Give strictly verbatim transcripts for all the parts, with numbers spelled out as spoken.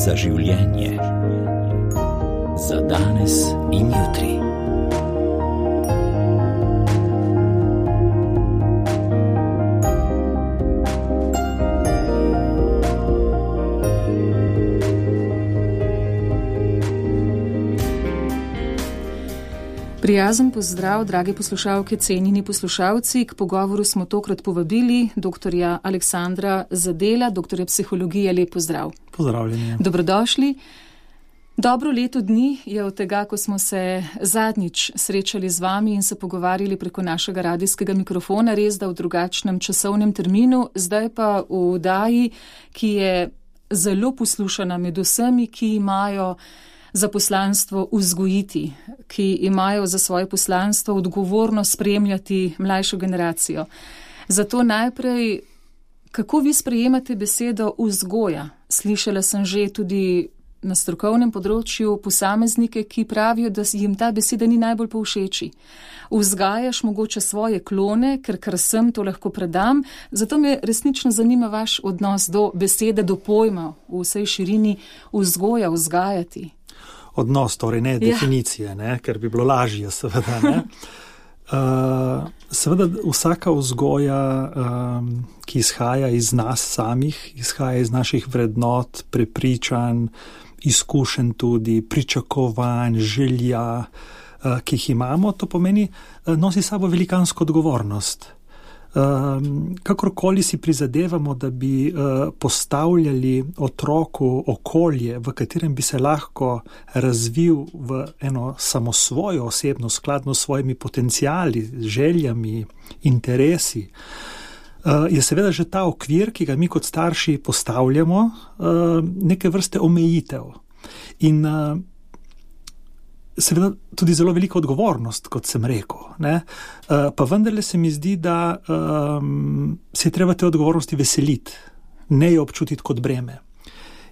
za življenje, za danes in jutri. Prijazen pozdrav, drage poslušalke, cenjeni poslušalci. K pogovoru smo tokrat povabili doktorja Aleksandra Zadela, doktorja psihologije. Lep pozdrav. Pozdravljeni. Dobrodošli. Dobro leto dni je od tega, ko smo se zadnjič srečali z vami in se pogovarjali preko našega radijskega mikrofona, res da v drugačnem časovnem terminu, zdaj pa v oddaji, ki je zelo poslušana med vsemi, ki imajo za poslanstvo vzgojiti, ki imajo za svoje poslanstvo odgovorno spremljati mlajšo generacijo. Zato najprej, kako vi sprejemate besedo vzgoja? Slišala sem že tudi na strokovnem področju posameznike, ki pravijo, da jim ta beseda ni najbolj povšeči. Vzgajaš mogoče svoje klone, ker kar sem, to lahko predam. Zato me resnično zanima vaš odnos do besede, do pojma v vsej širini vzgoja, vzgajati. Odnos, torej ne definicije, ja. ne, ker bi bilo lažje, seveda. Ne. Uh, seveda vsaka vzgoja, um, ki izhaja iz nas samih, izhaja iz naših vrednot, prepričanj, izkušenj tudi, pričakovanj, želja, uh, ki jih imamo, to pomeni, uh, nosi sabo velikansko odgovornost. Um, kakorkoli si prizadevamo, da bi uh, postavljali otroku okolje, v katerem bi se lahko razvil v eno samosvojo osebnost, skladno s svojimi potenciali, željami, interesi, uh, je seveda že ta okvir, ki ga mi kot starši postavljamo, uh, neke vrste omejitev. In uh, seveda tudi zelo velika odgovornost, kot sem rekel. Ne? Uh, pa vendarle se mi zdi, da um, se je treba te odgovornosti veseliti, ne jo občutiti kot breme.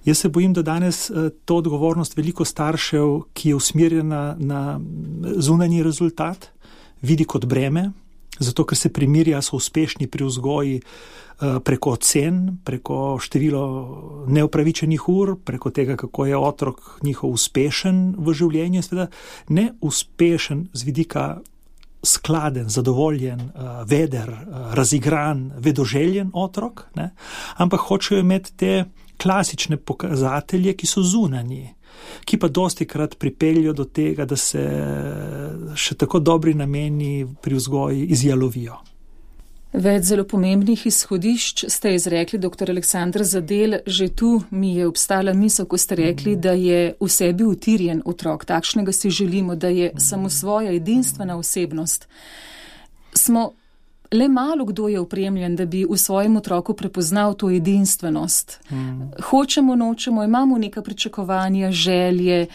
Jaz se bojim, da danes uh, to odgovornost veliko staršev, ki je usmerjena na zunanji rezultat, vidi kot breme, zato ker se primerja, so uspešni pri vzgoji uh, preko ocen, preko število neupravičenih ur, preko tega, kako je otrok njihov uspešen v življenju, seveda ne uspešen z vidika skladen, zadovoljen, uh, veder, uh, razigran, vedoželjen otrok, ne? Ampak hočejo imeti te klasične pokazatelje, ki so zunanji, ki pa dostikrat pripeljajo do tega, da se še tako dobri nameni pri vzgoji izjalovijo. Več zelo pomembnih izhodišč ste izrekli, doktor Aleksandr Zadel. Že tu mi je obstala misel, ko ste rekli, da je v sebi utirjen otrok. Takšnega si želimo, da je samosvoja edinstvena osebnost. Smo le malo kdo je opremljen, da bi v svojem otroku prepoznal to edinstvenost. Mm. Hočemo, nočemo, imamo neka pričakovanja, želje.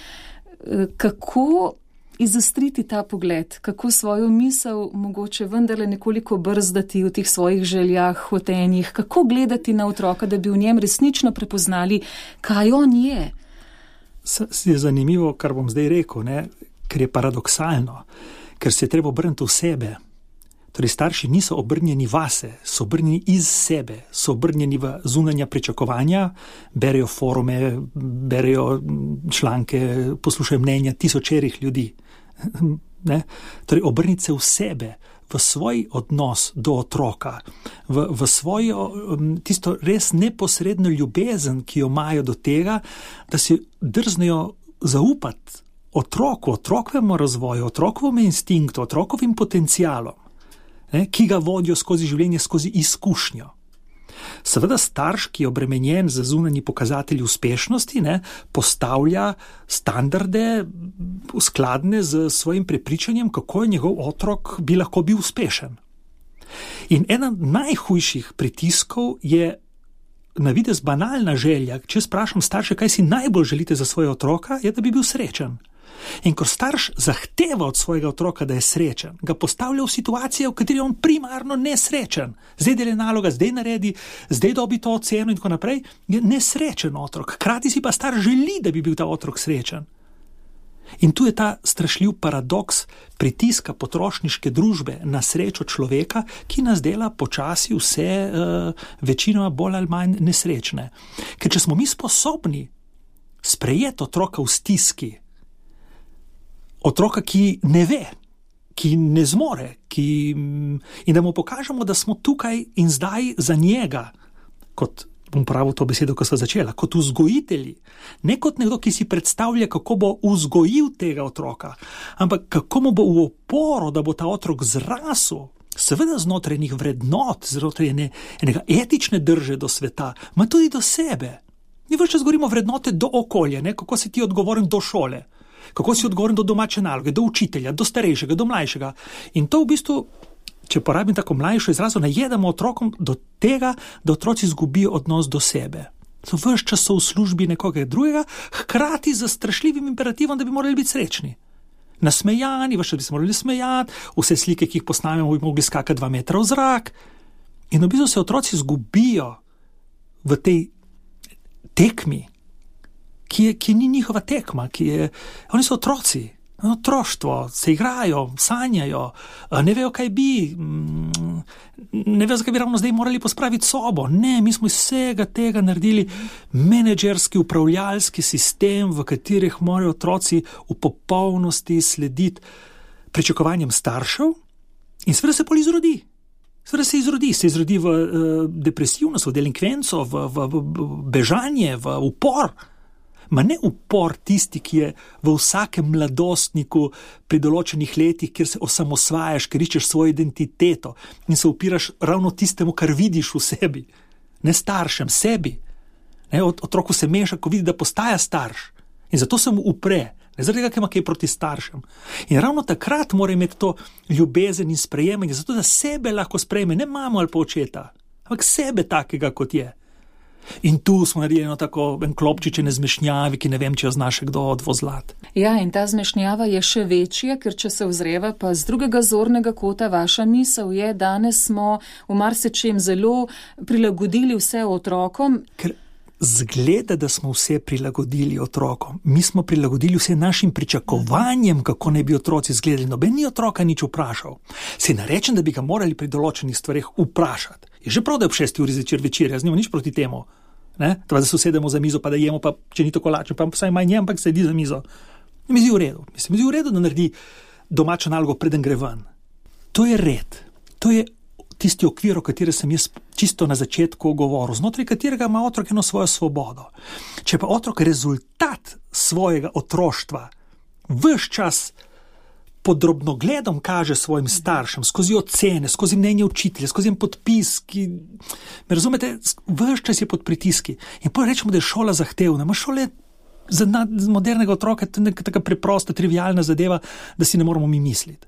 Kako izostriti ta pogled? Kako svojo misel mogoče vendarle nekoliko brzdati v teh svojih željah, hotenjih? Kako gledati na otroka, da bi v njem resnično prepoznali, kaj on je? S- je zanimivo, kar bom zdaj rekel, ne? Ker je paradoksalno, ker se je treba obrniti v sebe. Torej, starši niso obrnjeni vase, so obrnjeni iz sebe, so obrnjeni v zunanja pričakovanja, berejo forume, berejo članke, poslušajo mnenja tisočerih ljudi. Ne? Torej, obrniti se v sebe, v svoj odnos do otroka, v, v svojo tisto res neposredno ljubezen, ki jo imajo do tega, da si drznejo zaupati otroku, otrokovemu razvoju, otrokovemu instinktu, otrokovim potencialom, ne, ki ga vodijo skozi življenje, skozi izkušnjo. Seveda starš, ki je obremenjen z zunanji pokazatelji uspešnosti, ne, postavlja standarde skladne z svojim prepričanjem, kako je njegov otrok bi lahko bil uspešen. In ena najhujših pritiskov je na videz banalna želja. Če sprašam starše, kaj si najbolj želite za svojega otroka, je, da bi bil srečen. In ko starš zahteva od svojega otroka, da je srečen, ga postavlja v situacijo, v kateri je on primarno nesrečen. Zdaj dela naloga, zdaj naredi, zdaj dobi to oceno in tako naprej. Je nesrečen otrok. Hkrati si pa starš želi, da bi bil ta otrok srečen. In tu je ta strašljiv paradoks pritiska potrošniške družbe na srečo človeka, ki nas dela počasi vse uh, večinoma bolj ali manj nesrečne. Ker če smo mi sposobni sprejeti otroka v stiski, otroka, ki ne ve, ki ne zmore, ki, in da mu pokažemo, da smo tukaj in zdaj za njega, kot bom pravil to besedo, ko sva začela, kot vzgojitelji, ne kot nekdo, ki si predstavlja, kako bo vzgojil tega otroka, ampak kako mu bo v oporo, da bo ta otrok zrasel, seveda znotraj enih vrednot, znotraj ene, enega etične drže do sveta, ma tudi do sebe. Mi več čas govorimo vrednote do okolja, ne? Kako si ti odgovoren do šole, kako si odgovoren do domače naloge, do učitelja, do starejšega, do mlajšega. In to v bistvu, če porabim tako mlajšo izrazo, najedamo otrokom do tega, da otroci izgubijo odnos do sebe. So ves čas so v službi nekoga drugega, hkrati z strašljivim imperativom, da bi morali biti srečni. Nasmejani, ves čas bi se morali smejati, vse slike, ki jih posnamemo, bi mogli skakati dva metra v zrak. In v bistvu se otroci izgubijo v tej tekmi, ki, je, ki ni njihova tekma, ki je, oni so otroci. Otroštvo, se igrajo, sanjajo, ne vejo, kaj bi, ne vejo, zakaj bi ravno zdaj morali pospraviti sobo. Ne, mi smo iz vsega tega naredili menedžerski, upravljalski sistem, v katerih morajo otroci v popolnosti slediti pričakovanjem staršev in seveda se pol izrodi. Seveda se izrodi, se izrodi v uh, depresivnost, v delinkvenco, v, v, v bežanje, v upor. Ma ne upor tisti, ki je v vsakem mladostniku pri določenih letih, kjer se osamosvajaš, ker iščeš svojo identiteto in se upiraš ravno tistemu, kar vidiš v sebi. Ne staršem, sebi. Ne, otroku se meša, ko vidi, da postaja starš. In zato se mu upre. Ne zaradi tega, ker ima kaj proti staršem. In ravno takrat mora imeti to ljubezen in sprejemanje, zato da sebe lahko sprejme, ne mamo ali pa očeta, ampak sebe takega, kot je. In tu smo naredili eno tako en klopčičene zmešnjavi, ki ne vem, če jo zna še kdo odvozlat. Ja, in ta zmešnjava je še večja, ker če se ozreva pa z drugega zornega kota, vaša misel je, danes smo v marsičem zelo prilagodili vse otrokom. Ker zgleda, da smo vse prilagodili otrokom. Mi smo prilagodili vse našim pričakovanjem, kako naj bi otroci izgledali. Noben ni otroka nič vprašal. Se ne rečem, da bi ga morali pri določenih stvareh vprašati. Je že prav, da je ob šesti uri zvečer večer, jaz nimam nič proti temu. Ne? Tva, da se usedemo za mizo, pa da jemo, pa če ni tako lačen, pa vsaj manj jem, ampak sedi za mizo. Mi zdi v redu. Mislim, mi zdi v redu, da naredi domačo nalogo, preden gre ven. To je red. To je tisti okvir, o kateri sem jaz čisto na začetku govoril, znotraj katerega ima otrok eno svojo svobodo. Če pa otrok rezultat svojega otroštva ves čas pod drobnogledom kaže svojim staršem, skozi ocene, skozi mnenje učitelja, skozi en podpis, ki, me razumete, ves čas je pod pritiski. In potem rečemo, da je šola zahtevna. Ma šole za modernega otroka je taka preprosta, trivialna zadeva, da si ne moramo mi misliti.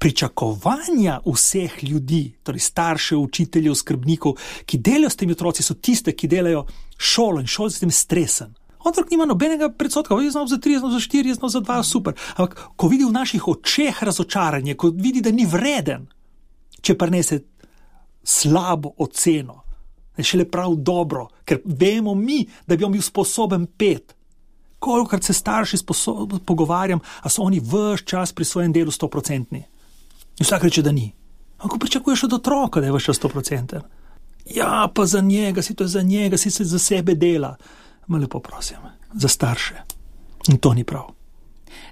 Pričakovanja vseh ljudi, torej staršev, učiteljev, skrbnikov, ki delajo s temi otroci, so tiste, ki delajo šolo in šolo s tem stresen. Otrok nima nobenega predsotka, je znal za tri, je znal za štiri, je znal za dva, super. Ampak ko vidi v naših očeh razočaranje, ko vidi, da ni vreden, če prinese slabo oceno, je šele prav dobro, ker vemo mi, da bi on bil sposoben pet. Kolikokrat se starši pogovarjam, a so oni ves čas pri svojem delu stoprocentni. In vsak reče, da ni. Ampak pričakuješ od otroka, da je ves čas stoprocenten. Ja, pa za njega, si to je za njega, si se za sebe dela. Ma lepo prosim, za starše. In to ni prav.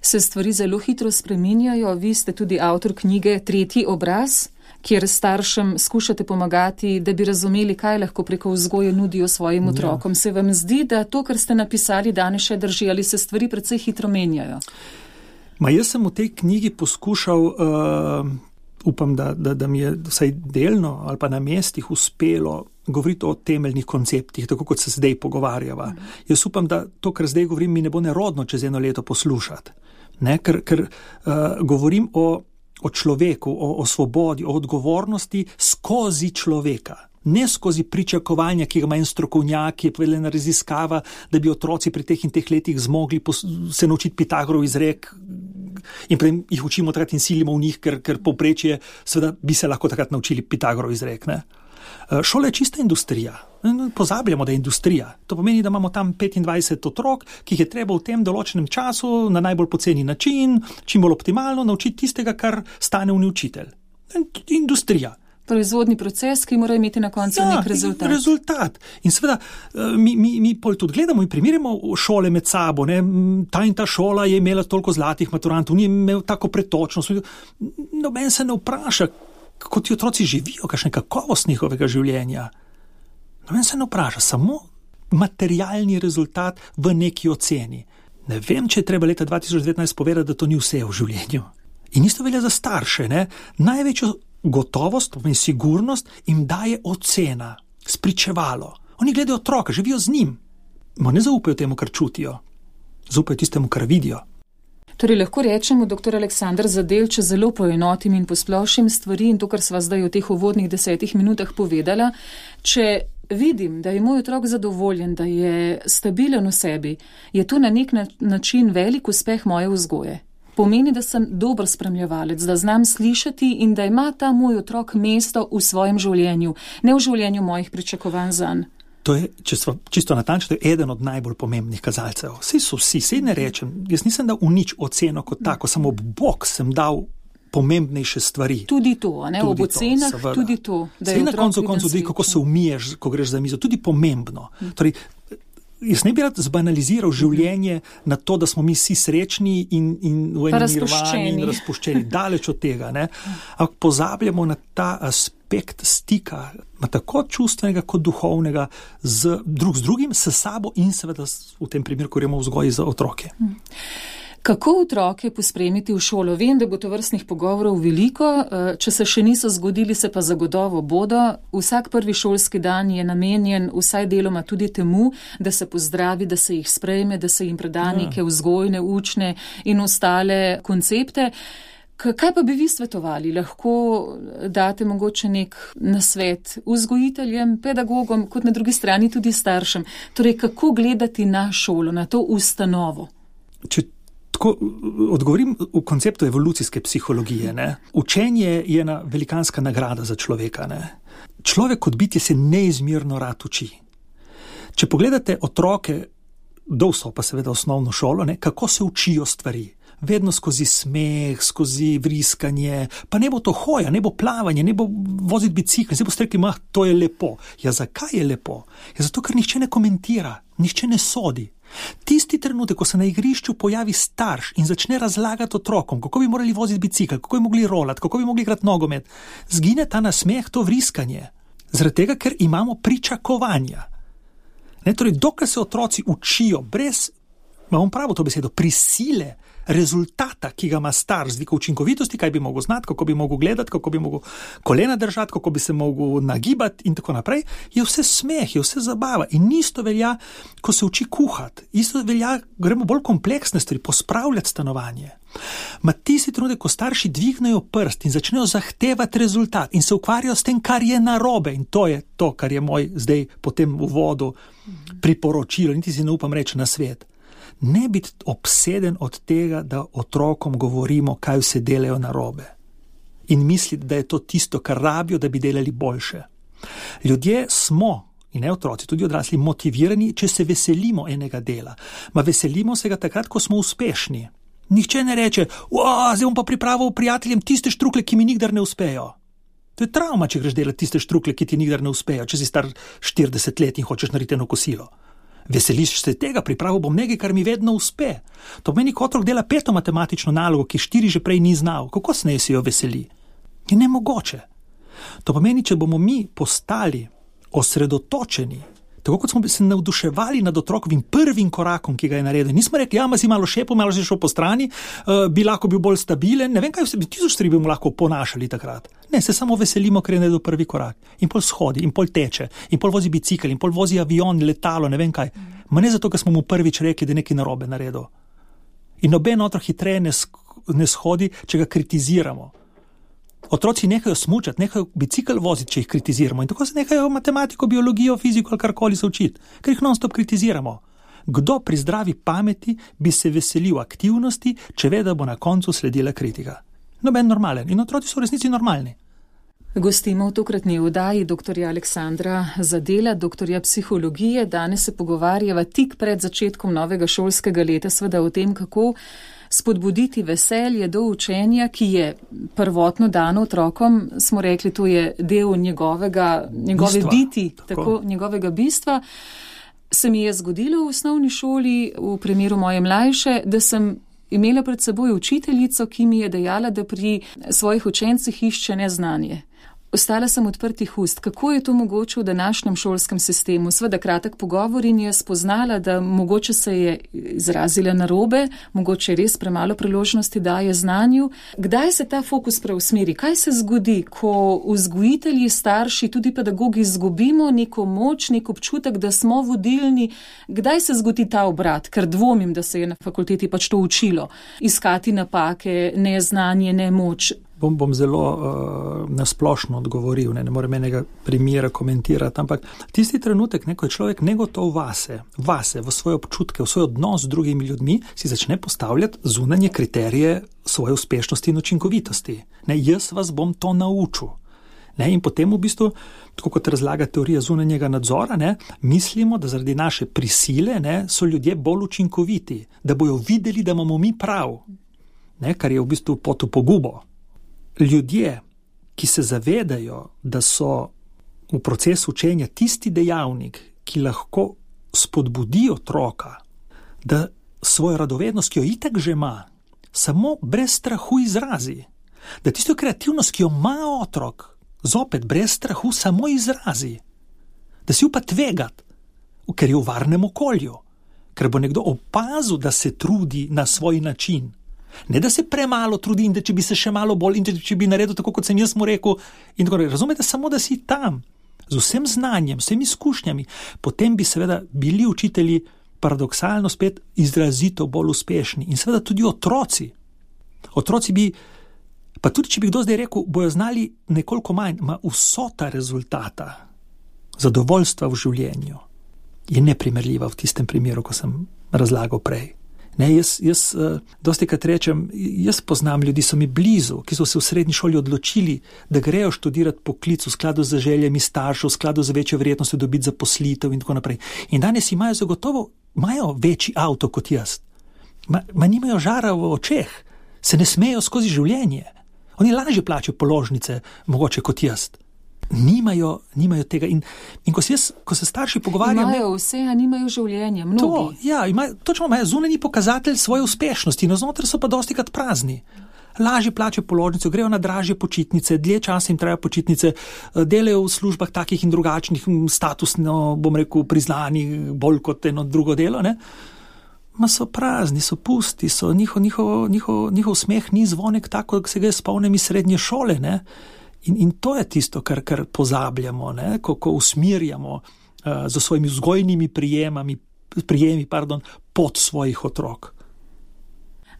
Se stvari zelo hitro spreminjajo. Vi ste tudi avtor knjige Tretji obraz, kjer staršem skušate pomagati, da bi razumeli, kaj lahko preko vzgoje nudijo svojim otrokom. Ja. Se vam zdi, da to, kar ste napisali, danes še drži, ali se stvari precej hitro menjajo? Ma jaz sem v tej knjigi poskušal, uh, upam, da, da, da mi je vsaj delno ali pa na mestih uspelo govoriti o temeljnih konceptih, tako kot se zdaj pogovarjava. Mm. Jaz upam, da to, kar zdaj govorim, mi ne bo nerodno čez eno leto poslušati. Ne? Ker, ker uh, govorim o, o človeku, o, o svobodi, o odgovornosti skozi človeka. Ne skozi pričakovanja, ki ga ima en strokovnjak, ki je povedala raziskava, da bi otroci pri teh in teh letih zmogli pos- se naučiti Pitagorov izrek in potem jih učimo takrat in silimo v njih, ker, ker povprečje, seveda bi se lahko takrat naučili Pitagorov izrek. Ne? Šola je čista industrija. Pozabljamo, da je industrija. To pomeni, da imamo tam petindvajset otrok, ki jih je treba v tem določenem času na najbolj poceni način, čim bolj optimalno naučiti tistega, kar stane v učitelj. Industrija. Proizvodni proces, ki mora imeti na koncu ja, nek rezultat. rezultat. In seveda, mi, mi, mi pol tudi gledamo in primerjamo šole med sabo. Ne? Ta in ta šola je imela toliko zlatih maturantov, ni imel tako pretočnost. Noben se ne vpraša, kako ti otroci živijo, kakšna je kakovost njihovega življenja. Noben se ne vpraša, samo materialni rezultat v neki oceni. Ne vem, če je treba leta dva tisoč devetnajst povedati, da to ni vse v življenju. In isto velja za starše. Ne? Največjo gotovost in sigurnost jim daje ocena, spričevalo. Oni gledajo otroka, živijo z njim. Ma ne zaupajo temu, kar čutijo. Zaupajo tistemu, kar vidijo. Torej lahko rečemo, doktor Aleksander Zadel, če zelo poenotim in posplošim stvari in to, kar sva zdaj v teh uvodnih desetih minutah povedala, če vidim, da je moj otrok zadovoljen, da je stabilen v sebi, je to na nek način velik uspeh moje vzgoje. Pomeni, da sem dober spremljevalec, da znam slišati in da ima ta moj otrok mesto v svojem življenju, ne v življenju mojih pričakovanj zanj. To je, če smo čisto natančni, to je eden od najbolj pomembnih kazalcev. Vsi so vsi, sej ne rečem, jaz nisem dal v nič oceno kot tako, samo ob bok sem dal pomembnejše stvari. Tudi to, ne, ob ocenah, tudi to. Sej na koncu koncu tudi, kako se umiješ, ko greš za mizo, tudi pomembno. Hmm. Torej, jaz ne bi rad zbanaliziral življenje na to, da smo mi vsi srečni in, in v enem mirovanju in razpuščeni. Daleč od tega. Ne? Ampak pozabljamo na ta aspekt stika, tako čustvenega kot duhovnega, z, drug z drugim, s sabo in seveda v tem primeru, ko gremo v vzgoji za otroke. Hmm. Kako otroke pospremiti v šolo? Vem, da bo to vrstnih pogovorov veliko, če se še niso zgodili, se pa zagotovo bodo. Vsak prvi šolski dan je namenjen vsaj deloma tudi temu, da se pozdravi, da se jih sprejme, da se jim preda neke vzgojne, učne in ostale koncepte. Kaj pa bi vi svetovali? Lahko date mogoče nek nasvet vzgojiteljem, pedagogom, kot na drugi strani tudi staršem. Torej, kako gledati na šolo, na to ustanovo? Če Tako odgovorim v konceptu evolucijske psihologije. Ne? Učenje je ena velikanska nagrada za človeka. Ne? Človek kot bitje se neizmerno rad uči. Če pogledate otroke, do vstopa seveda osnovno šolo, ne? Kako se učijo stvari. Vedno skozi smeh, skozi vriskanje, pa ne bo to hoja, ne bo plavanje, ne bo voziti bicikl, ne bo strekli, mah, to je lepo. Ja, zakaj je lepo? Ja, zato, ker nihče ne komentira, nihče ne sodi. Tisti trenutek, ko se na igrišču pojavi starš in začne razlagati otrokom, kako bi morali voziti bicikl, kako bi mogli rolati, kako bi mogli igrati nogomet, zgine ta nasmeh, to vriskanje. Zaradi tega, ker imamo pričakovanja. Ne, torej, dokler se otroci učijo brez, imam pravo to besedo, prisile, rezultata, ki ga ima starš, z vidika učinkovitosti, kaj bi mogel znati, kako bi mogel gledati, kako bi mogel kolena držati, kako bi se mogel nagibati in tako naprej, je vse smeh, je vse zabava. In isto velja, ko se uči kuhati. Isto velja, gremo bolj kompleksne stvari, pospravljati stanovanje. Ma tisti trenutek, ko starši dvignejo prst in začnejo zahtevati rezultat in se ukvarjajo s tem, kar je narobe, in to je to, kar je moj zdaj po tem uvodu priporočilo, niti si ne upam reči na svet. Ne biti obseden od tega, da otrokom govorimo, kaj vse delajo narobe. In misliti, da je to tisto, kar rabijo, da bi delali boljše. Ljudje smo, in ne otroci, tudi odrasli, motivirani, če se veselimo enega dela. Ma veselimo se ga takrat, ko smo uspešni. Nihče ne reče, zdaj bom pa pripravil prijateljem tiste štrukle, ki mi nikdar ne uspejo. To je travma, če greš delati tiste štrukle, ki ti nikdar ne uspejo, če si star štirideset let in hočeš narediti eno kosilo. Veseliš se tega, pripravil bom nekaj, kar mi vedno uspe. To pomeni, ko otrok dela peto matematično nalogo, ki štiri že prej ni znal. Kako se se jo veseli? Je nemogoče. To pomeni, če bomo mi postali osredotočeni, tako kot smo se navduševali nad otrokovim prvim korakom, ki ga je naredil. Nismo rekli, ja, ma si malo šepil, malo si šel po strani, uh, bi lahko bil bolj stabilen, ne vem kaj, tisoč stvari bi mu lahko ponašali takrat. Ne, se samo veselimo, ker je naredil prvi korak. In pol shodi, in pol teče, in pol vozi bicikl, in pol vozi avion, letalo, ne vem kaj. Ma ne zato, ker smo mu prvič rekli, da je nekaj narobe naredil. In noben otrok hitreje ne, ne shodi, če ga kritiziramo. Otroci nehajo smučati, nehajo bicikl voziti, če jih kritiziramo. In tako se nehajo matematiko, biologijo, fiziko ali karkoli se učiti, ker jih non-stop kritiziramo. Kdo pri zdravi pameti bi se veselil aktivnosti, če ve, da bo na koncu sledila kritika? Noben normalen. In otroci so v resnici normalni. Gostimo v tokratni oddaji doktorja Aleksandra Zadela, doktorja psihologije. Danes se pogovarjava tik pred začetkom novega šolskega leta, seveda o tem, kako spodbuditi veselje do učenja, ki je prvotno dano otrokom, smo rekli, to je del njegovega, njegove bistva, biti, tako. tako, njegovega bistva. Se mi je zgodilo v osnovni šoli, v primeru moje mlajše, da sem imela pred seboj učiteljico, ki mi je dejala, da pri svojih učencih išče neznanje. Ostala sem odprtih ust. Kako je to mogoče v današnjem šolskem sistemu? Sveda kratek pogovor in je spoznala, da mogoče se je izrazila narobe, mogoče res premalo priložnosti daje znanju. Kdaj se ta fokus preusmeri? Kaj se zgodi, ko vzgojitelji, starši, tudi pedagogi izgubimo neko moč, nek občutek, da smo vodilni? Kdaj se zgodi ta obrat? Ker dvomim, da se je na fakulteti pač to učilo. Iskati napake, neznanje, nemoč. Bom, bom zelo uh, nasplošno odgovoril, ne, ne morem enega primera komentirati, ampak tisti trenutek, ne, ko je človek negotov vase, vase, v svoje občutke, v svoj odnos z drugimi ljudmi, si začne postavljati zunanje kriterije svoje uspešnosti in učinkovitosti. Ne, jaz vas bom to naučil. Ne, in potem v bistvu, tako kot razlaga teorija zunanjega nadzora, ne, mislimo, da zaradi naše prisile ne, so ljudje bolj učinkoviti, da bojo videli, da imamo mi prav, ne, kar je v bistvu pot v pogubo. Ljudje, ki se zavedajo, da so v procesu učenja tisti dejavnik, ki lahko spodbudi otroka, da svojo radovednost, ki jo itak že ima, samo brez strahu izrazi, da tisto kreativnost, ki jo ima otrok, zopet brez strahu samo izrazi, da si upa tvegati, ker je v varnem okolju, ker bo nekdo opazil, da se trudi na svoj način. Ne, da se premalo trudi in da če bi se še malo bolj in če bi naredil tako, kot sem jaz mu rekel. In tako, razumete, samo da si tam, z vsem znanjem, vsemi izkušnjami, potem bi seveda bili učitelji paradoksalno spet izrazito bolj uspešni. In seveda tudi otroci. Otroci bi, pa tudi če bi kdo zdaj rekel, bojo znali nekoliko manj, ma vsota rezultata zadovoljstva v življenju je neprimerljiva v tistem primeru, ko sem razlagal prej. Ne, jaz, jaz uh, dosti krat rečem, jaz poznam ljudi, so mi blizu, ki so se v srednji šoli odločili, da grejo študirati poklic v skladu z željami staršev, v skladu z večjo verjetnostjo dobiti zaposlitev in tako naprej. In danes imajo zagotovo, imajo večji avto kot jaz. Ma, ma nimajo žara v očeh, se ne smejo skozi življenje. Oni lažje plačajo položnice, mogoče kot jaz. Nimajo, nimajo tega. In, in ko, se jaz, ko se starši pogovarjam... Imajo vse, a nimajo življenje, mnogi. To, ja, imajo, točno imajo zunanji pokazatelj svoje uspešnosti, no znotraj so pa dosti krat prazni. Lažje plačajo položnice, grejo na dražje počitnice, dlje časa jim trajajo počitnice, delajo v službah takih in drugačnih, statusno, bom rekel, priznanih, bolj kot eno drugo delo, ne? Ma so prazni, so pusti, so njihov, njihov, njihov, njihov smeh ni zvonek tako, kot se ga spomnim iz srednje šole, ne? In, in to je tisto, kar, kar pozabljamo, ne? Ko, ko usmirjamo uh, za svojimi vzgojnimi prijemami, prijemi pardon, pod svojih otrok.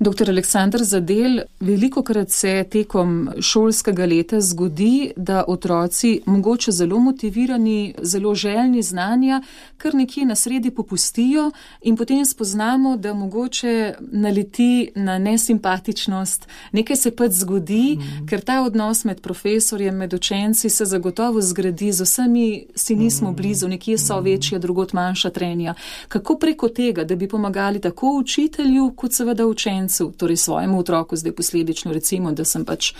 Doktor Aleksander Zadel, velikokrat se tekom šolskega leta zgodi, da otroci, mogoče zelo motivirani, zelo željni znanja, kar nekje na sredi popustijo in potem spoznamo, da mogoče naleti na nesimpatičnost. Nekaj se pač zgodi, mm. ker ta odnos med profesorjem, med učenci se zagotovo zgradi, z vsemi si nismo blizu, nekje so večja, drugot manjša trenja. Kako preko tega, da bi pomagali tako učitelju, kot seveda učencu, torej svojemu otroku, zdaj posledično recimo, da sem pač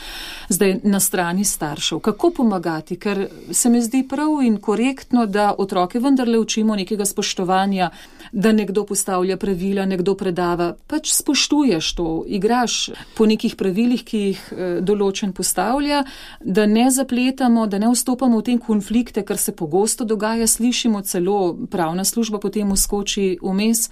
zdaj na strani staršev. Kako pomagati? Ker se mi zdi prav in korektno, da otroke vendarle učimo nekega spoštovanja, da nekdo postavlja pravila, nekdo predava. Pač spoštuješ to, igraš po nekih pravilih, ki jih določen postavlja, da ne zapletamo, da ne vstopamo v te konflikte, kar se pogosto dogaja, slišimo celo pravna služba potem vskoči vmes.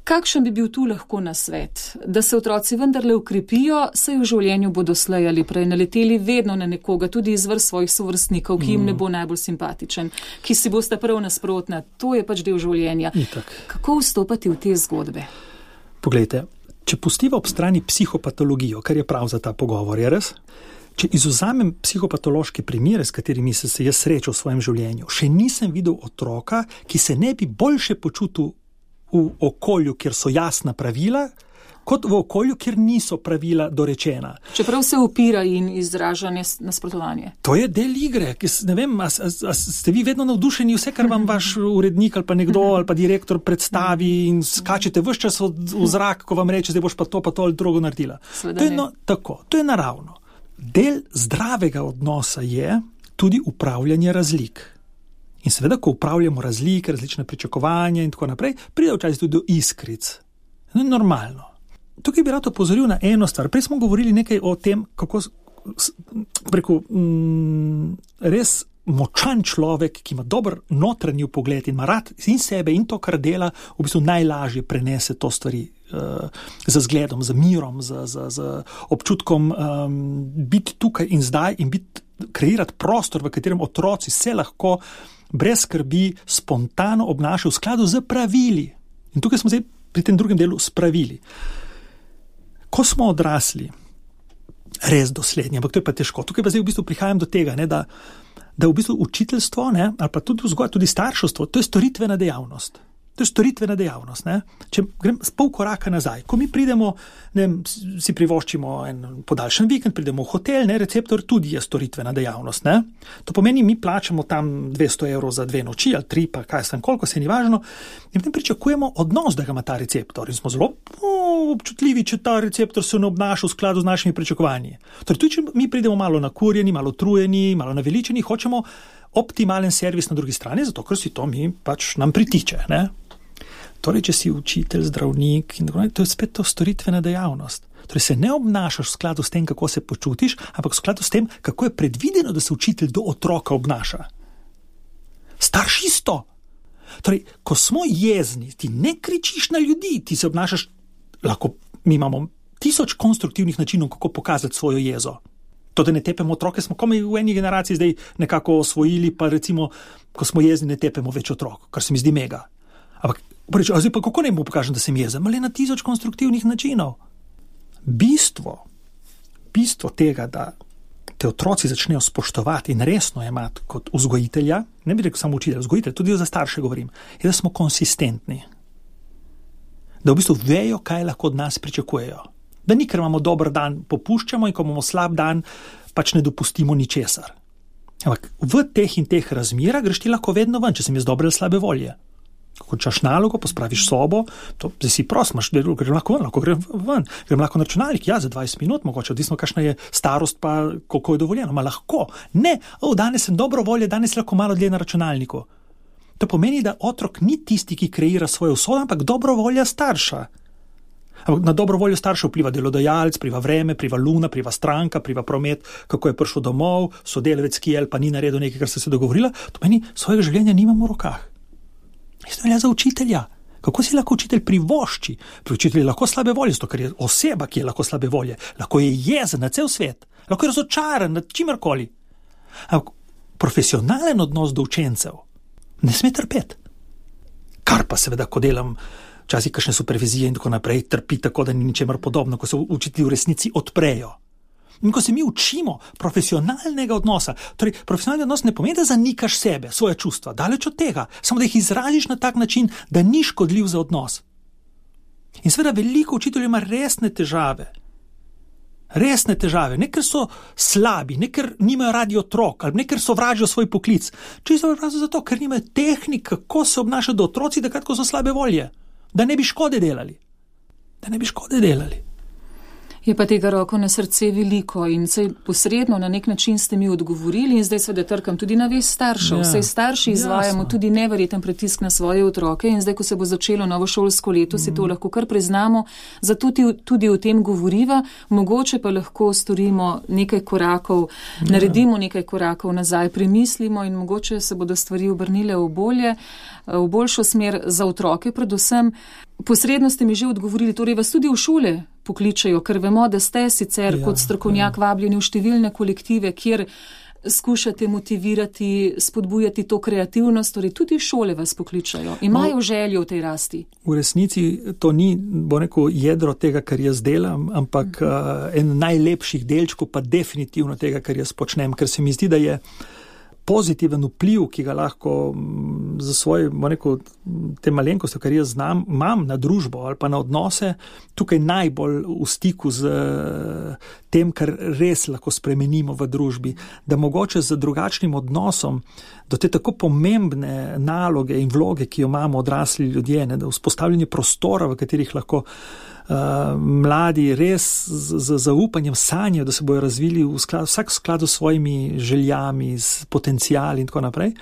Kakšen bi bil tu lahko nasvet? Da se otroci vendarle ukrepijo, saj v življenju bodo slej ali prej naleteli vedno na nekoga, tudi iz vrst svojih sovrstnikov, ki jim ne bo najbolj simpatičen, ki si boste prav nasprotna. To je pač del življenja. Itak. Kako vstopati v te zgodbe? Poglejte, če pustiva ob strani psihopatologijo, kar je prav za ta pogovor, je res? Če izvzamem psihopatološke primere, s katerimi sem se jaz srečal v svojem življenju, še nisem videl otroka, ki se ne bi boljše počutil v okolju, kjer so jasna pravila, kot v okolju, kjer niso pravila dorečena. Čeprav se upira in izraža nasprotovanje. To je del igre, ki ne vem, a, a, a ste vi vedno navdušeni vse, kar vam vaš urednik ali pa nekdo ali pa direktor predstavi in skačete ves čas v zrak, ko vam reče, zdaj boš pa to pa to ali drugo naredila. To je, no, tako, to je naravno. Del zdravega odnosa je tudi upravljanje razlik. In seveda, ko upravljamo razlike, različne pričakovanja in tako naprej, pride včasih tudi do iskric. To je normalno. Tukaj bi rad opozoril na eno stvar. Prej smo govorili nekaj o tem, kako preko mm, res močan človek, ki ima dober notranji pogled in ima rad in sebe in to, kar dela, v bistvu najlažje prenese to stvari uh, z zgledom, z mirom, z, z, z občutkom um, biti tukaj in zdaj in biti, kreirati prostor, v katerem otroci se lahko brez skrbi spontano obnašajo v skladu z pravili. In tukaj smo zdaj pri tem drugem delu s pravili. Ko smo odrasli, res doslednji, ampak to je pa težko. Tukaj pa zdaj v bistvu prihajam do tega, ne, da, da v bistvu učiteljstvo, ne, ali pa tudi vzgoja, tudi starševstvo, to je storitvena dejavnost. To je storitvena dejavnost. Ne. Če grem s pol koraka nazaj, ko mi pridemo, ne vem, si privoščimo en podaljšan vikend, pridemo v hotel, ne, receptor tudi je storitvena dejavnost. Ne. To pomeni, mi plačamo tam dvesto evrov za dve noči ali tri, pa kaj sem, koliko se ni važno, in potem pričakujemo odnos, da ga ima ta receptor. In smo zelo o, občutljivi, če ta receptor se ne obnaša v skladu z našimi pričakovanji. Torej, tudi če mi pridemo malo nakurjeni, malo trujeni, malo naveličeni, hočemo optimalen servis na drugi strani, zato ker si to mi pač nam pritiče, ne. Torej, če si učitelj, zdravnik, in tako naprej, to je spet to storitvena dejavnost. Torej, se ne obnašaš v skladu s tem, kako se počutiš, ampak v skladu s tem, kako je predvideno, da se učitelj do otroka obnaša. Starš isto. Torej, ko smo jezni, ti ne kričiš na ljudi, ti se obnašaš, lahko mi imamo tisoč konstruktivnih načinov, kako pokazati svojo jezo. To, da ne tepemo otroke, smo komaj v eni generaciji zdaj nekako osvojili, pa recimo, ko smo jezni, ne tepemo več otrok, kar se mi zdi mega. Ampak Preč, a zdaj pa kako ne mu pokažem, da sem jezen? Le na tisoč konstruktivnih načinov. Bistvo, bistvo tega, da te otroci začnejo spoštovati in resno jemati kot vzgojitelja, ne bi rekel samo učitelj, vzgojitelj, tudi za starše govorim, je, da smo konsistentni. Da v bistvu vejo, kaj lahko od nas pričakujejo. Da ni, ker imamo dober dan, popuščamo in ko imamo slab dan, pač ne dopustimo ničesar. Ampak v teh in teh razmerah greš ti lahko vedno ven, če sem jaz dobre ali slabe volje. Ko končaš nalogo, pospraviš sobo, to zdaj si prost, imaš, grem lahko ven, lahko grem ven, grem lahko na računalnik, ja, za dvajset minut, mogoče, odvisno, kakšna je starost, pa koliko je dovoljeno, ma lahko. Ne, o, danes sem dobro volje, danes lahko malo dlje na računalniku. To pomeni, da otrok ni tisti, ki kreira svojo usodo, ampak dobro volja starša. Na dobro voljo starša vpliva delodajalec, pliva vreme, pliva luna, pliva stranka, pliva promet, kako je prišel domov, sodelavec, ki je ali pa ni naredil nekaj, kar ste se dogovorila, to pomeni, svojega življenja nimamo v rokah. Isto velja za učitelja. Kako si lahko učitelj privošči? Pri učitelju lahko slabe volje, zato ker je oseba, ki je lahko slabe volje. Lahko je jezen na cel svet. Lahko je razočaran nad čimerkoli. Ampak profesionalen odnos do učencev ne sme trpeti. Kar pa seveda, ko delam včasih kakšne supervizije in tako naprej, trpi tako, da ni ničemer podobno, ko se učitelji v resnici odprejo. In ko se mi učimo profesionalnega odnosa, torej profesionalni odnos ne pomeni, da zanikaš sebe, svoje čustva, daleč od tega, samo da jih izraziš na tak način, da ni škodljiv za odnos. In seveda veliko učiteljev ima resne težave. Resne težave, ne ker so slabi, ne ker nimajo radi otrok, ali ne ker sovražijo svoj poklic, čisto zato, ker nimajo tehnik, kako se obnašajo do otroci, da kratko so slabe volje, da ne bi škode delali. Da ne bi škode delali. Je pa tega roko na srce veliko in sej posredno na nek način ste mi odgovorili in zdaj seveda trkam tudi na vest staršev. Sej starši izvajamo jasno. Tudi neverjeten pritisk na svoje otroke in zdaj, ko se bo začelo novo šolsko leto, mm. si to lahko kar priznamo, zato tudi, tudi o tem govoriva, mogoče pa lahko storimo nekaj korakov, ja. naredimo nekaj korakov nazaj, premislimo in mogoče se bodo stvari obrnile v bolje, v boljšo smer za otroke predvsem. Posredno ste mi že odgovorili, torej vas tudi v šole pokličajo, ker vemo, da ste sicer ja, kot strokovnjak ja. vabljeni v številne kolektive, kjer skušate motivirati, spodbujati to kreativnost, torej tudi šole vas pokličajo. Imajo no, željo v tej rasti? V resnici to ni, bo rekel, jedro tega, kar jaz delam, ampak uh, en najlepših delčkov pa definitivno tega, kar jaz počnem, ker se mi zdi, da je pozitiven vpliv, ki ga lahko za svoje, rekel, te malenkosti, kar jaz znam, imam na družbo ali pa na odnose, tukaj najbolj v stiku z tem, kar res lahko spremenimo v družbi, da mogoče z drugačnim odnosom do te tako pomembne naloge in vloge, ki jo imamo odrasli ljudje, ne, da vzpostavljanje prostora, v katerih lahko Uh, mladi res z, z zaupanjem sanjajo, da se bojo razvili v skladu, vsak v skladu s svojimi željami, s potencijali in tako naprej,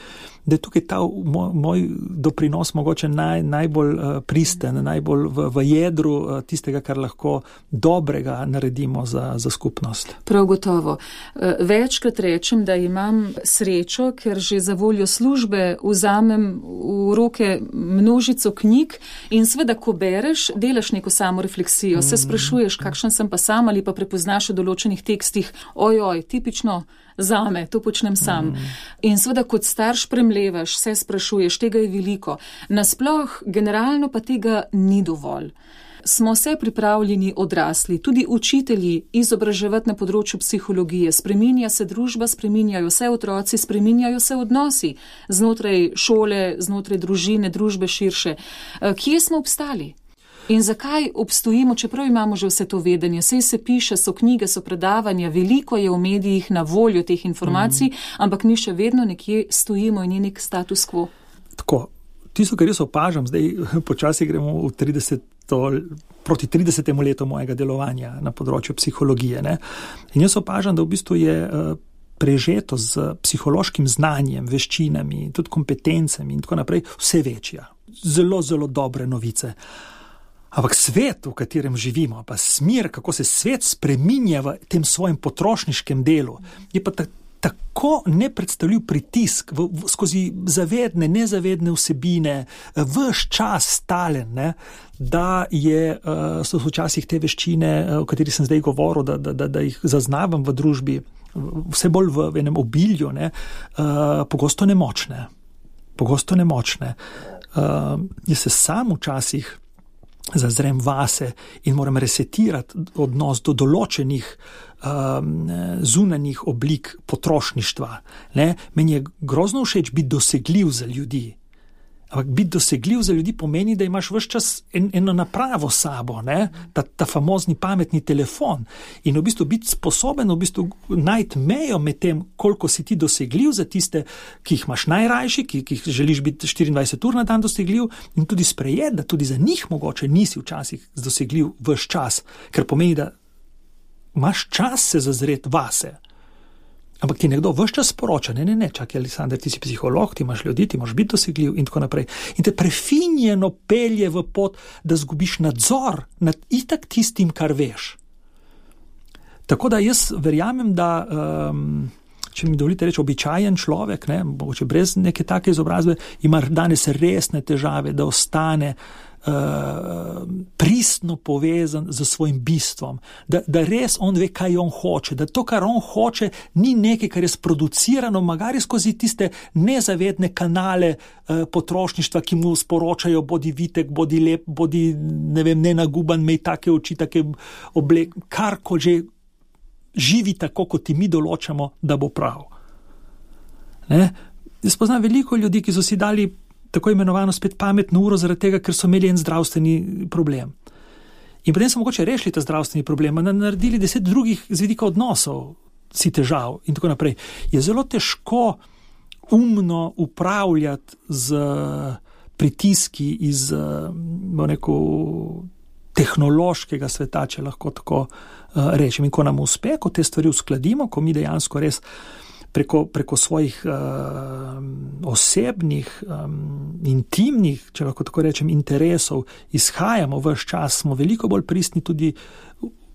da je tukaj ta moj, moj doprinos mogoče naj, najbolj uh, pristen, najbolj v, v jedru uh, tistega, kar lahko dobrega naredimo za, za skupnost. Prav gotovo. Uh, večkrat rečem, da imam srečo, ker že za voljo službe vzamem v roke množico knjig in seveda, ko bereš, delaš neko samorefleksijo, se sprašuješ, kakšen sem pa sam ali pa prepoznaš v določenih tekstih, ojoj, tipično zame, to počnem sam. Mm. In seveda kot starš premlevaš, se sprašuješ, tega je veliko. Nasploh, generalno pa tega ni dovolj. Smo se pripravljeni odrasli, tudi učitelji, izobraževati na področju psihologije. Spreminja se družba, spreminjajo se otroci, spreminjajo se odnosi znotraj šole, znotraj družine, družbe širše. Kje smo obstali? In zakaj obstojimo, čeprav imamo že vse to vedenje? Sej se piše, so knjige, so predavanja, veliko je v medijih na voljo teh informacij, mm. ampak mi še vedno nekje stojimo in je nek status quo. Tako, tisto, kar jaz opažam, zdaj počasi gremo v trideseto, proti tridesetemu letu mojega delovanja na področju psihologije. Ne? In jaz opažam, da v bistvu je prežeto z psihološkim znanjem, veščinami, tudi kompetencami in tako naprej vse večja. Zelo, zelo dobre novice. Ampak svet, v katerem živimo, pa smer, kako se svet spreminja v tem svojem potrošniškem delu, je pa ta, tako nepredstavljiv pritisk v, v, skozi zavedne, nezavedne vsebine, vš čas stalen, ne, da je, uh, so včasih te veščine, uh, o katerih sem zdaj govoril, da, da, da, da jih zaznavam v družbi, vse bolj v, v enem obilju, ne, uh, pogosto nemočne. Pogosto nemočne. Uh, jaz se sam včasih zazrem vase in moram resetirati odnos do določenih um, zunanjih oblik potrošništva. Ne? Meni je grozno všeč biti dosegljiv za ljudi. Ampak biti dosegljiv za ljudi pomeni, da imaš ves čas en, eno napravo sabo, ne? Ta, ta famozni pametni telefon. In v bistvu biti sposoben v bistvu najti mejo med tem, koliko si ti dosegljiv za tiste, ki jih imaš najrajši, ki, ki jih želiš biti štiriindvajset ur na dan dosegljiv, in tudi sprejeti, da tudi za njih mogoče nisi včasih dosegljiv ves čas, ker pomeni, da imaš čas se zazreti vase. Ampak ti nekdo ves čas sporoča, ne, ne, ne, čakaj, Aleksandar, ti si psiholog, ti imaš ljudi, ti moraš biti dosegljiv in tako naprej. In te prefinjeno pelje v pot, da zgubiš nadzor nad itak tistim, kar veš. Tako da jaz verjamem, da, um, če mi dovolite reči, običajen človek, ne, mogoče brez neke take izobrazbe, ima danes resne težave, da ostane Uh, pristno povezan z svojim bistvom, da, da res on ve, kaj on hoče, da to, kar on hoče, ni nekaj, kar je sproducirano, magari skozi tiste nezavedne kanale uh, potrošništva, ki mu sporočajo, bodi vitek, bodi lep, bodi, ne vem, nenaguban, mej take oči, take oblek, kar ko že živi tako, kot ti mi določamo, da bo prav. Ne? Jaz poznam veliko ljudi, ki so si dali tako imenovano spet pametno uro zaradi tega, ker so imeli en zdravstveni problem. In potem so mogoče rešili ta zdravstveni problem, naredili deset drugih z vidika odnosov si težav in tako naprej. Je zelo težko umno upravljati z pritiski iz, bo neko, tehnološkega sveta, če lahko tako uh, rečem. In ko nam uspe, ko te stvari uskladimo, ko mi dejansko res Preko, preko svojih uh, osebnih, um, intimnih, če lahko tako rečem, interesov izhajamo ves čas, smo veliko bolj pristni tudi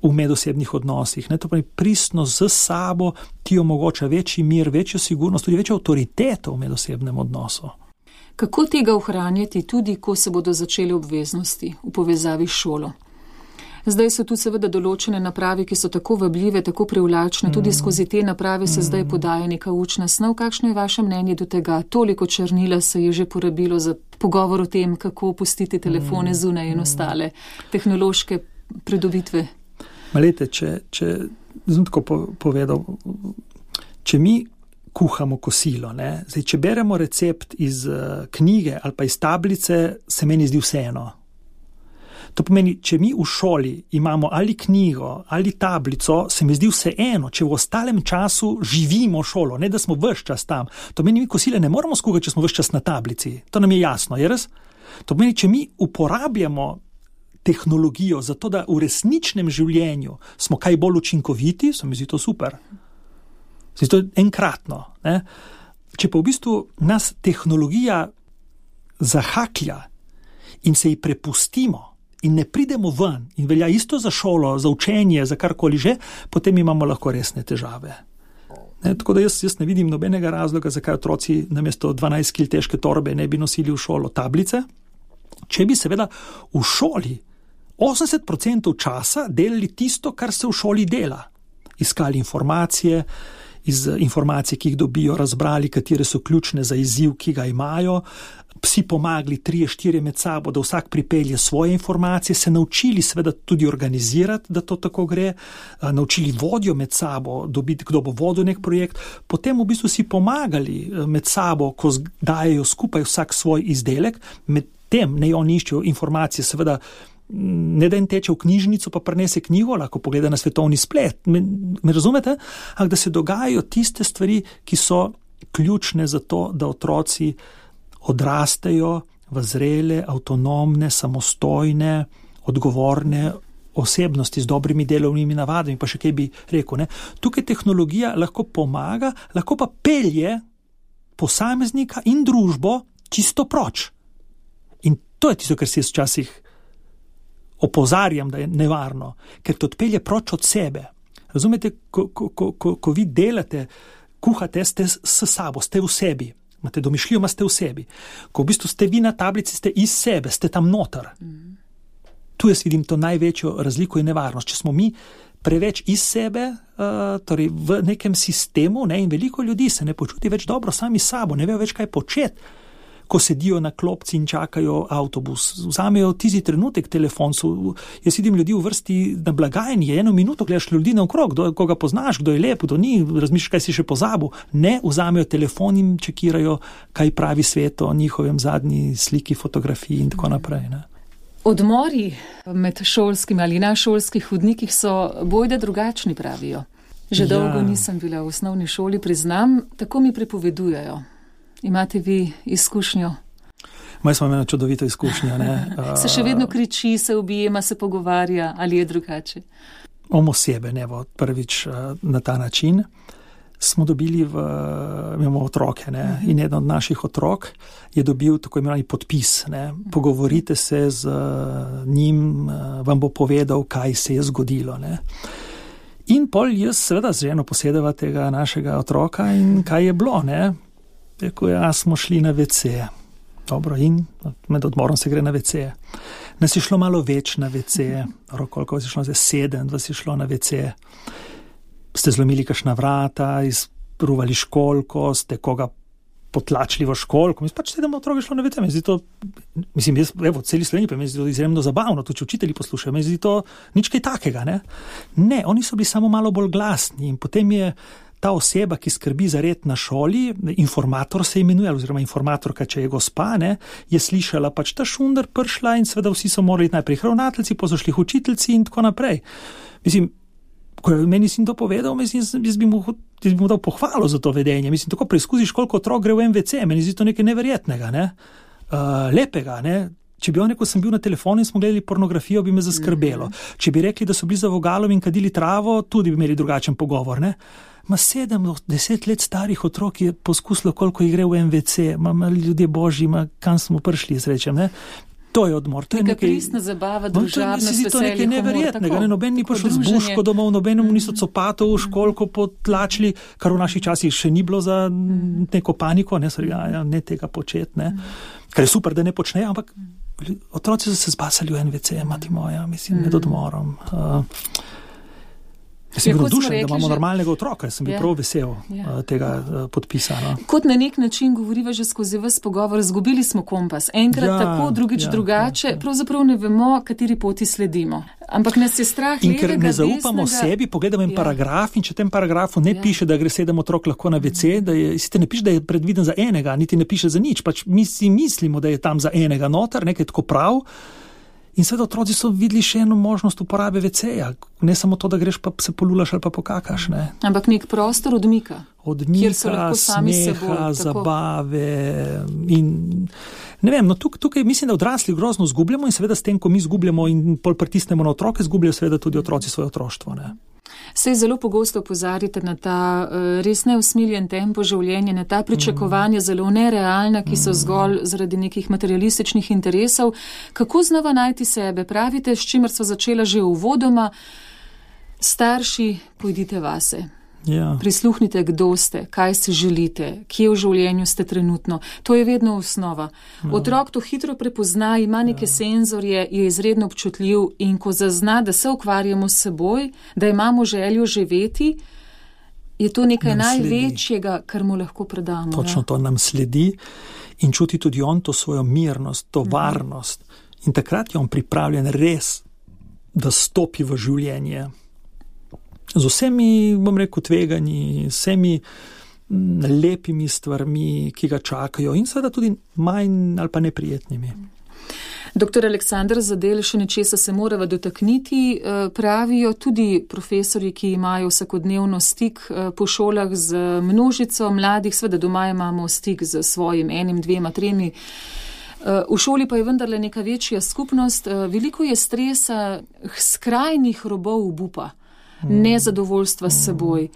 v medosebnih odnosih. Ne? To pravi, pristnost z sabo ti omogoča večji mir, večjo sigurnost, tudi večjo avtoriteto v medosebnem odnosu. Kako tega ohranjati tudi, ko se bodo začele obveznosti v povezavi s šolo? Zdaj so tu seveda določene naprave, ki so tako vabljive, tako privlačne, tudi skozi te naprave se zdaj podaja neka učna snov. Kakšno je vaše mnenje do tega? Toliko črnila se je že porabilo za pogovor o tem, kako pustiti telefone zunaj in ostale tehnološke pridobitve. Malete, če, če, zelo tako povedal, če mi kuhamo kosilo. Ne? Zdaj, če beremo recept iz uh, knjige ali pa iz tablice, se meni zdi vseeno. To pomeni, če mi v šoli imamo ali knjigo ali tablico, se mi zdi vseeno, če v ostalem času živimo šolo, ne da smo ves čas tam. To pomeni, mi kosile ne moramo skuhati, če smo ves čas na tablici. To nam je jasno, je res? To pomeni, če mi uporabljamo tehnologijo za to, da v resničnem življenju smo kaj bolj učinkoviti, se mi zdi to super. Se mi zdi to enkratno. Ne? Če pa v bistvu nas tehnologija zahaklja in se ji prepustimo, in ne pridemo ven, in velja isto za šolo, za učenje, za karkoli že, potem imamo lahko resne težave. Ne, tako da jaz, jaz ne vidim nobenega razloga, zakaj otroci namesto dvanajst kil težke torbe ne bi nosili v šolo tablice, če bi seveda v šoli osemdeset procentov časa delali tisto, kar se v šoli dela. Iskali informacije, iz informacij, ki jih dobijo, razbrali, katere so ključne za izziv, ki ga imajo, psi pomagali trije, štirje med sabo, da vsak pripelje svoje informacije, se naučili seveda tudi organizirati, da to tako gre, naučili vodjo med sabo, dobiti, kdo bo vodil nek projekt, potem v bistvu si pomagali med sabo, ko dajejo skupaj vsak svoj izdelek, med tem ne oni iščejo informacije, seveda ne da en teče v knjižnico, pa prinese knjigo, lahko pogleda na svetovni splet. Me, me razumete? Ampak da se dogajajo tiste stvari, ki so ključne za to, da otroci odrastejo v zrele, avtonomne, samostojne, odgovorne osebnosti z dobrimi delovnimi navadami, pa še kaj bi rekel. Ne? Tukaj tehnologija lahko pomaga, lahko pa pelje posameznika in družbo čisto proč. In to je tisto, kar si jaz včasih opozarjam, da je nevarno, ker te odpelje proč od sebe. Razumete, ko, ko, ko, ko, ko vi delate, kuhate, ste s sabo, ste v sebi, imate domišljijo, ste v sebi. Ko v bistvu ste vi na tablici, ste iz sebe, ste tam noter. Mm. Tu jaz vidim to največjo razliko in nevarnost. Če smo mi preveč iz sebe, uh, torej v nekem sistemu, ne, in veliko ljudi se ne počuti več dobro sami s sabo, ne vejo več kaj početi, ko sedijo na klopci in čakajo avtobus. Vzamejo tisti trenutek telefon. So, jaz vidim ljudi v vrsti na blagajni, eno minuto gledaš ljudi naokrog, kdo, koga poznaš, kdo je lep, kdo ni, razmišljaš, kaj si še pozabil. Ne, vzamejo telefon in čekirajo, kaj pravi svet o njihovem zadnji sliki, fotografiji in tako naprej. Ne. Odmori med šolskimi ali na šolskih hodnikih so bojda drugačni, pravijo. Že ja. Dolgo nisem bila v osnovni šoli, priznam, tako mi prepovedujejo. Imate vi izkušnjo? Moj smo imeli čudovito izkušnjo. Ne? Se še vedno kriči, se objema, se pogovarja ali je drugače? Omo sebe, ne bo prvič na ta način. Smo dobili, v, imamo otroke, ne? Uh-huh. In eden od naših otrok je dobil tako imenovani podpis. Ne? Pogovorite se z njim, vam bo povedal, kaj se je zgodilo. Ne? In pol jaz seveda z ženo posedeva tega našega otroka in kaj je bilo, ne? Rekel, ja, smo šli na ve ce. Dobro, in med odmorom se gre na ve ce. Nas je šlo malo več na ve ce. Koliko vas je šlo? Sedem vas je šlo na ve ce. Ste zlomili kakšna vrata, izpruvali školko, ste koga potlačili v školko. Mislim, pač sedem otrok je šlo na ve ce. Meni zdi to, mislim, jaz, evo, celi Sloveniji pa meni zdi to izjemno zabavno, tudi če učitelji poslušajo, meni zdi to nič kaj takega, ne? Ne, oni so bili samo malo bolj glasni in potem je ta oseba, ki skrbi za red na šoli, informator se imenuje, oziroma informatorka, če je gospa, ne, je slišala pač ta šunder prišla in seveda vsi so morali najprej ravnateljci, pa so šli učiteljci in tako naprej. Mislim, ko je meni sin to povedal, mislim, jaz bi mu, jaz bi mu dal pohvalo za to vedenje. Mislim, tako preizkusiš, koliko otrok gre v en ve ce, meni zdi to nekaj neverjetnega, ne, uh, lepega, ne. Če bi on rekel, sem bil na telefonu in smo gledali pornografijo, bi me zaskrbelo. Če bi rekli, da so bili za vogalom in kadili travo, tudi bi imeli drugačen pogovor, ne. Ma sedem, deset let starih otrok je poskusilo, koliko jih gre v en ve ce, ma, ma ljudje božji, ma kam smo prišli, srečem, ne. To je odmor. To je nekaj pristna zabava, družabnost, veselje, to je nekaj neverjetnega. Ne, noben ni prišel z buško domov, nobenemu niso copatov v školko potlačili, kar v naših časih še ni bilo za neko paniko, ne, sorry, ja, ne tega početi, ne. Kar je super, da ne počnejo, ampak otroci so se zbasali v en ve ce, mati moja, mislim, med odmorom. Uh, Jaz sem Ja, bil kot smo navdušen, da rekli imamo že- normalnega otroka, jaz sem bil Ja. prav vesel Ja. uh, tega uh, podpisa. No. Kot na nek način govoriva že skozi ves pogovor, izgubili smo kompas. Enkrat Ja, tako, drugič ja, drugače, ja, ja. pravzaprav ne vemo, kateri poti sledimo. Ampak nas je strah In ker levega, ne zaupamo desnega. sebi, pogledamo en Ja. paragraf in če v tem paragrafu ne Ja. piše, da gre sedem otrok lahko na ve ce, da je, sicer ne piše, da je predviden za enega, niti ne piše za nič, pač mi si mislimo, da je tam za enega noter, nekaj tako prav. In seveda otroci so videli še eno možnost uporabe ve ce-ja, ne samo to, da greš pa se polulaš ali pa pokakaš. Ne. Ampak nek prostor odmika. Kjer so Odmika, lahko sami s seboj, smeha, tako. zabave in ne vem, no tukaj, tukaj mislim, da odrasli grozno zgubljamo in seveda s tem, ko mi zgubljamo in pol pritisnemo na otroke, zgubljajo seveda tudi otroci svoje otroštvo. Ne. Sej zelo pogosto opozarjate na ta uh, res neusmiljen tempo življenja, na ta pričakovanja mm. zelo nerealna, ki so zgolj zaradi nekih materialističnih interesov. Kako znova najti sebe? Pravite, s čimer sva začela že uvodoma, starši, pojdite vase. Ja. Prisluhnite, kdo ste, kaj si želite, kje v življenju ste trenutno. To je vedno osnova. No. Otrok to hitro prepozna, ima neke ja. senzorje, je izredno občutljiv in ko zazna, da se ukvarjamo s seboj, da imamo željo živeti, je to nekaj nam največjega, sledi. Kar mu lahko predamo. Točno ja. to nam sledi in čuti tudi on to svojo mirnost, to mhm. varnost. In takrat je on pripravljen res, da stopi v življenje. Z vsemi, bom rekel, tveganji, vsemi lepimi stvarmi, ki ga čakajo in seveda tudi manj ali pa neprijetnimi. Doktor Aleksander Zadel, še nečesa se morava dotakniti, pravijo tudi profesori, ki imajo vsakodnevno stik po šolah z množico mladih, seveda doma imamo stik z svojim enim, dvema, tremi. V šoli pa je vendarle neka večja skupnost, veliko je stresa, skrajnih robov obupa. Nezadovoljstva s seboj.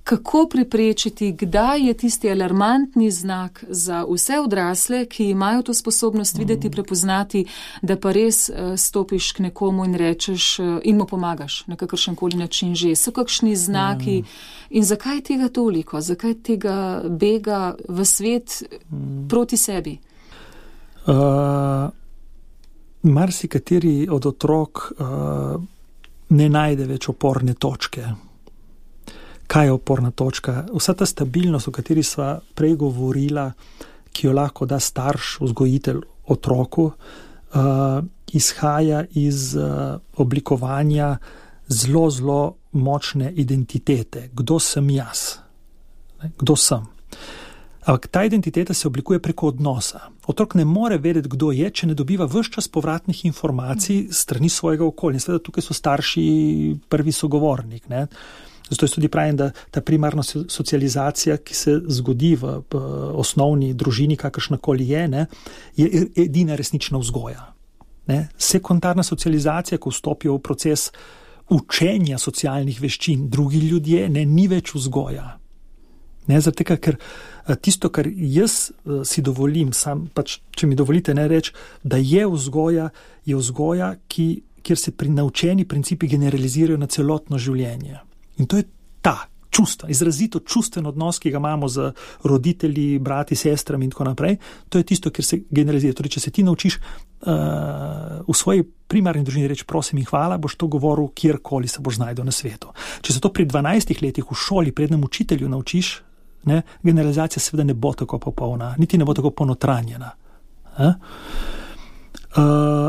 Kako preprečiti, kdaj je tisti alarmantni znak za vse odrasle, ki imajo to sposobnost videti, prepoznati, da pa res stopiš k nekomu in rečeš in mu pomagaš na kakršenkoli način že. So kakšni znaki in zakaj tega toliko? Zakaj tega bega v svet proti sebi? Uh, marsikateri od otrok uh, ne najde več oporne točke. Kaj je oporna točka? Vsa ta stabilnost, o kateri sva prej govorila, ki jo lahko da starš, vzgojitelj otroku, uh, izhaja iz uh, oblikovanja zelo, zelo močne identitete. Kdo sem jaz? Kdo sem? Ampak ta identiteta se oblikuje preko odnosa. Otrok ne more vedeti, kdo je, če ne dobiva ves čas povratnih informacij strani svojega okolja. Seveda tukaj so starši prvi sogovornik. Ne? Zato jaz tudi pravim, da ta primarna socializacija, ki se zgodi v, v osnovni družini, kakršnakoli je, ne, je edina resnična vzgoja. Ne? Sekundarna socializacija, ko vstopijo v proces učenja socialnih veščin drugi ljudje, ne, ni več vzgoja. Ne, zaradi tega, ker tisto, kar jaz si dovolim, sam, pač, če mi dovolite ne reči, da je vzgoja, je vzgoja, ki, kjer se pri naučeni principi generalizirajo na celotno življenje. In to je ta čustva, izrazito čustven odnos, ki ga imamo z roditelji, brati, sestrami in tako naprej. To je tisto, kjer se generalizira. Torej, če se ti naučiš uh, v svoji primarni družini reči prosim in hvala, boš to govoril kjerkoli se boš znajdel na svetu. Če se to pri dvanajstih letih v šoli prednem učitelju naučiš, ne, generalizacija seveda ne bo tako popolna, niti ne bo tako ponotranjena. Uh,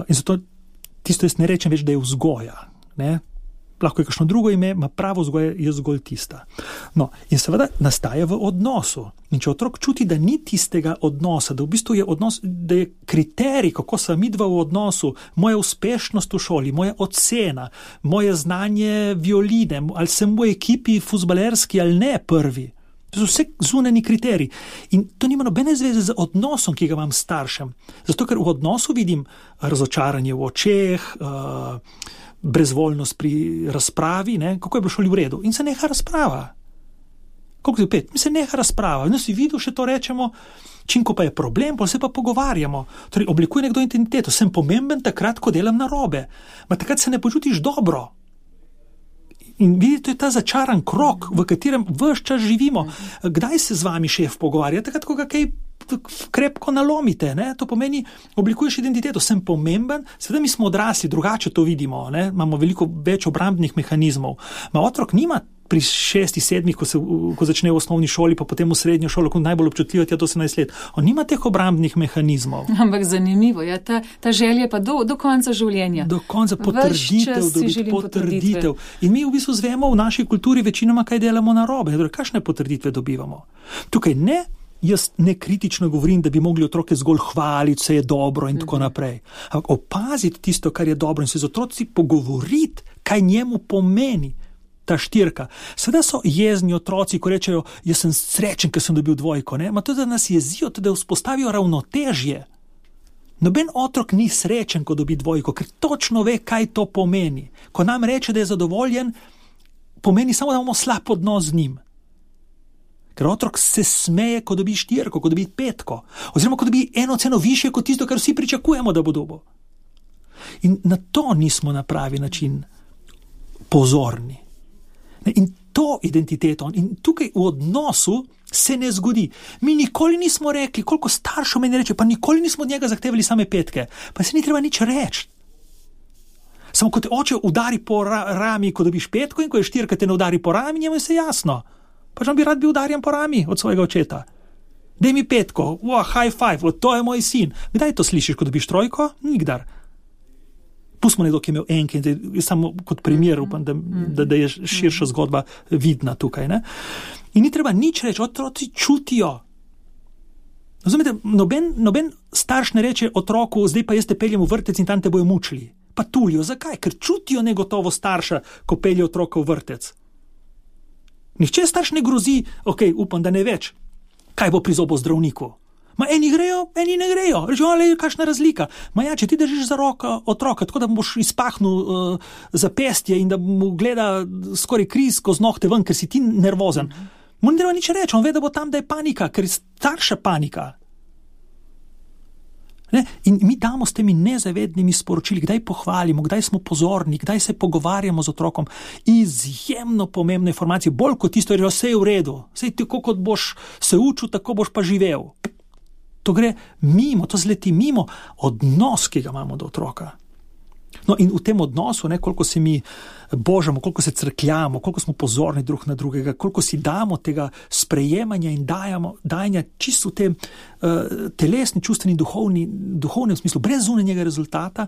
in zato tisto jaz ne rečem več, da je vzgoja. Ne. Lahko je kakšno drugo ime, ma pravo vzgoja je zgolj tista. No, in seveda nastaja v odnosu. In če otrok čuti, da ni tistega odnosa, da v bistvu je odnos, da je kriterij, kako sem midva v odnosu, moja uspešnost v šoli, moja ocena, moje znanje violine, ali sem v ekipi fuzbalerski ali ne prvi. To so vse zunanji kriteriji. In to nima nobene zveze z odnosom, ki ga imam s staršem. Zato, ker v odnosu vidim razočaranje v očeh, uh, brezvoljnost pri razpravi, ne, kako je bilo šoli v redu. In se neha razprava. Koliko je pet? Mi se neha razprava. In si videl, še to rečemo, čim ko pa je problem, pa se pa pogovarjamo. Torej, oblikuje nekdo identiteto. Sem pomemben takrat, ko delam narobe. Ma takrat se ne počutiš dobro. In vidite, to je ta začaran krog, v katerem ves čas živimo. Kdaj se z vami šef pogovarja? Takrat, ko ga kaj krepko nalomite, ne? To pomeni, oblikuješ identiteto, sem pomemben, seveda mi smo odrasli, drugače to vidimo, ne? Imamo veliko več obrambnih mehanizmov. Ma otrok nima pri šestih, sedmih, ko, se, ko začne v osnovni šoli, pa potem v srednjo šolo, ko najbolj občutljivo je to osemnajst let. On nima teh obrambnih mehanizmov. Ampak zanimivo, ja, ta, ta želja pa do, do konca življenja. Do konca potrditev, dobiti potrditev. In mi v bistvu zvemo v naši kulturi večinoma, kaj delamo narobe. Kakšne potrditve dobivamo? Tukaj ne, jaz ne kritično govorim, da bi mogli otroke zgolj hvaliti, vse je dobro in mm-hmm. tako naprej. Ampak opaziti tisto, kar je dobro in se z otroci pogovoriti, kaj njemu pomeni ta štirka. Seveda so jezni otroci, ko rečejo, jaz sem srečen, ker sem dobil dvojko, ne? Ma to, da nas jezijo, to, da vzpostavijo ravnotežje. Noben otrok ni srečen, ko dobi dvojko, ker točno ve, kaj to pomeni. Ko nam reče, da je zadovoljen, pomeni samo, da imamo slab odnos z njim. Ker otrok se smeje, ko dobi štirko, ko dobi petko, oziroma ko dobi eno ceno višje kot tisto, kar vsi pričakujemo, da bo dobil. In na to nismo na pravi način pozorni. In to identiteto, in tukaj v odnosu se ne zgodi. Mi nikoli nismo rekli, koliko staršev meni reče, pa nikoli nismo od njega zahtevali same petke, pa se ni treba nič reči. Samo ko te oče udari po ra- rami, ko dobiš petko, in ko je štirka te ne udari po rami, njemu je se jasno. Pač on bi rad bil udarjen po rami od svojega očeta. Daj mi petko, wow, high five, o, to je moj sin. Kdaj to slišiš, ko dobiš trojko? Nikdar. Pustimo nekdo, ki je imel enke, samo kot primer, upam, da, da, da je širša zgodba vidna tukaj. Ne? In ni treba nič reči, otroci čutijo. Razumete, noben, noben starš ne reče otroku, zdaj pa jaz te peljem v vrtec in tam te bojo mučili. Pa tulijo, zakaj? Ker čutijo negotovo starša, ko pelje otroka v vrtec. Nihče starš ne grozi, ok, upam, da ne več, kaj bo prizobo zdravniku. Ma eni grejo, eni ne grejo. Rečemo, ali je kakšna razlika. Ma ja, če ti držiš za roko otroka, tako da mu boš izpahnil uh, zapestje in da mu gleda skoraj kriz skozi nohte ven, ker si ti nervozen. Mu ne treba nič reči, on ve, da bo tam, da je panika, ker je starša panika. Ne? In mi damo s temi nezavednimi sporočili, kdaj pohvalimo, kdaj smo pozorni, kdaj se pogovarjamo z otrokom. Izjemno pomembne informacije, bolj kot tisto, da vse je v redu. Sej tako, kot boš se učil, tako boš pa živel. To gre mimo, to zleti mimo odnos, ki ga imamo do otroka. No in v tem odnosu, ne, koliko se mi božamo, koliko se crkljamo, koliko smo pozorni drug na drugega, koliko si damo tega sprejemanja in dajamo, dajanja čisto v tem uh, telesni, čustveni, duhovni, duhovnem smislu, brez zunanjega rezultata,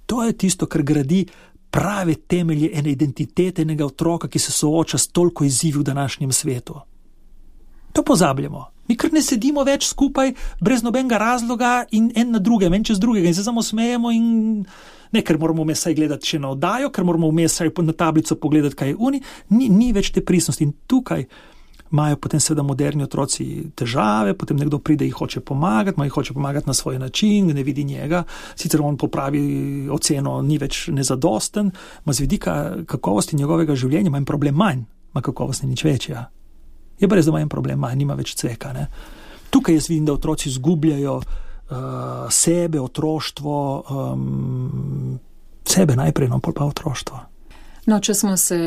to je tisto, kar gradi prave temelje ene identitete, enega otroka, ki se sooča s toliko izzivi v današnjem svetu. To pozabljamo. Mi kar ne sedimo več skupaj, brez nobenega razloga in en na drugem, en čez drugega in se samo smejemo in ne, ker moramo vmes saj gledati še na oddajo, ker moramo vmes saj na tablico pogledati, kaj je uni, ni, ni več te prisnosti in tukaj imajo potem seveda moderni otroci težave, potem nekdo pride in hoče pomagati, ma jih hoče pomagati na svoj način, ne vidi njega, sicer on popravi oceno, ni več nezadosten, ma z vidika kakovosti njegovega življenja ima en problem manj, ma kakovost ni nič večja. Je pa res, da ima en problem, manj, nima več cveka. Ne? Tukaj jaz vidim, da otroci izgubljajo uh, sebe, otroštvo, um, sebe najprej, no, pol pa otroštvo. No, če smo se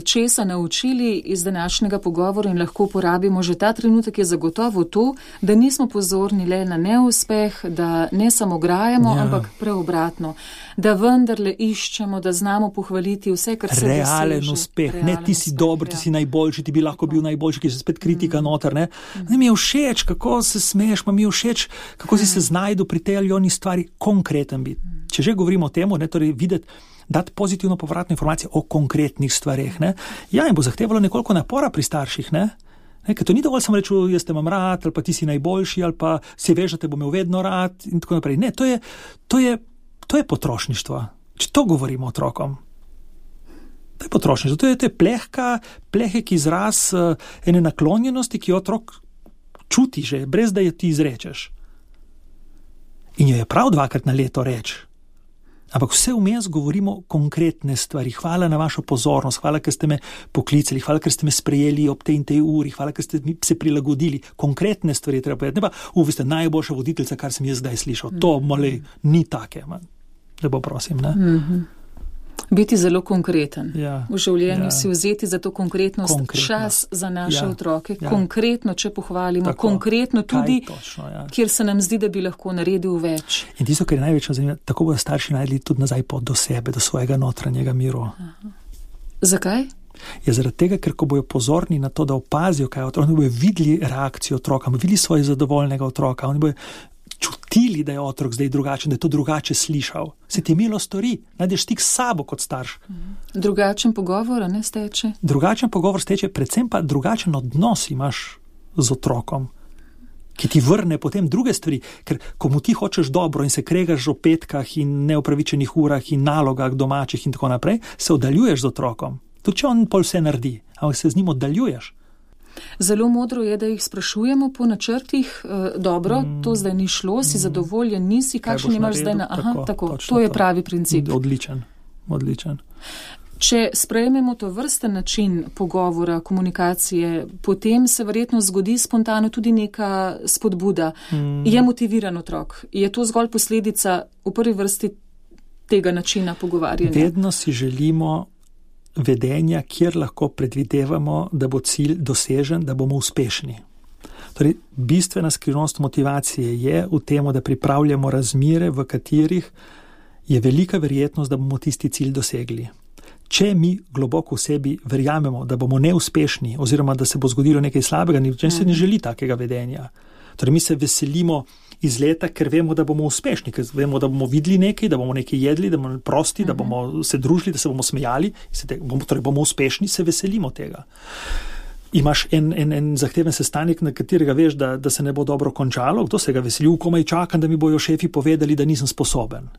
česa naučili iz današnjega pogovora in lahko uporabimo že ta trenutek, je zagotovo to, da nismo pozorni le na neuspeh, da ne samo grajamo, ja. ampak preobratno, da vendarle iščemo, da znamo pohvaliti vse, kar se doseže. Realen uspeh, Realen ne ti si uspeh, dober, ja. ti si najboljši, ti bi lahko bil najboljši, ki je spet kritika mm. noter, ne. Mm. Ne mi je všeč, kako se smeješ, ma mi je všeč, kako mm. si se znajdu pri tej ali oni stvari, konkreten biti. Mm. Če že govorimo o temu, ne, torej videti, dati pozitivno povratno informacijo o konkretnih stvareh. Ne? Ja, in bo zahtevalo nekoliko napora pri starših, ne? Ne, ker to ni dovolj samo reči, jaz te imam rad, ali pa ti si najboljši, ali pa si veš, da te bom imel vedno rad in tako naprej. Ne, to je, to je, to je potrošništvo. Če to govorimo otrokom. To je potrošništvo. To je, to je plehka, plehek izraz uh, ene naklonjenosti, ki otrok čuti že, brez da jo ti izrečeš. In jo je prav dvakrat na leto reči. Ampak vse vmes govorimo konkretne stvari. Hvala na vašo pozornost, hvala, ker ste me poklicali, hvala, ker ste me sprejeli ob tej in tej uri, hvala, ker ste se prilagodili. Konkretne stvari treba povedati. Ne pa, u, vi ste najboljša voditeljca, kar sem jaz zdaj slišal. Mm. To, mali, ni take. Lepo prosim, ne? Mm-hmm. Biti zelo konkreten. Ja, v življenju ja. Si vzeti za to konkretnost, konkretnost. Čas za naše ja, otroke. Ja. Konkretno, če pohvalimo, Tako. Konkretno tudi, točno, ja. kjer se nam zdi, da bi lahko naredil več. In tisto, kar je največje zanimivo, tako bodo starši najdli tudi nazaj pot do sebe, do svojega notranjega miru. Aha. Zakaj? Je zaradi tega, ker ko bojo pozorni na to, da opazijo, kaj je otrok, oni bojo videli reakcijo otroka, bojo videli svojega zadovoljnega otroka, oni bojo čutili, da je otrok zdaj drugačen, da je to drugače slišal. Se ti milo stori, najdeš stik s sabo kot starš. Drugačen pogovor, ne steče? Drugačen pogovor steče, predvsem pa drugačen odnos imaš z otrokom, ki ti vrne potem druge stvari, ker ko mu ti hočeš dobro in se kregaš o petkah in neopravičenih urah in nalogah domačih in tako naprej, se oddaljuješ z otrokom. Tudi če on pol vse naredi, ampak se z njim oddaljuješ. Zelo modro je, da jih sprašujemo po načrtih. E, dobro, mm, to zdaj ni šlo, si mm, zadovoljen, nisi, kakšen imaš zdaj na... Aha, tako, tako to je pravi princip. Odličen, odličen. Če sprejmemo to vrsten način pogovora, komunikacije, potem se verjetno zgodi spontano tudi neka spodbuda. Mm. Je motiviran otrok? Je to zgolj posledica v prvi vrsti tega načina pogovarjanja? Vedno si želimo vedenja, kjer lahko predvidevamo, da bo cilj dosežen, da bomo uspešni. Torej, bistvena skrivnost motivacije je v tem, da pripravljamo razmere, v katerih je velika verjetnost, da bomo tisti cilj dosegli. Če mi globoko v sebi verjamemo, da bomo neuspešni oziroma da se bo zgodilo nekaj slabega, nič se ne želi takega vedenja. Torej, mi se veselimo iz leta, ker vemo, da bomo uspešni, ker vemo, da bomo videli nekaj, da bomo nekaj jedli, da bomo prosti, da bomo se družili, da se bomo smejali, se te, bomo, torej bomo uspešni, se veselimo tega. Imaš en, en, en zahteven sestanek, na katerega veš, da, da se ne bo dobro končalo, kdo se ga veseli, komaj čakam, da mi bojo šefi povedali, da nisem sposoben.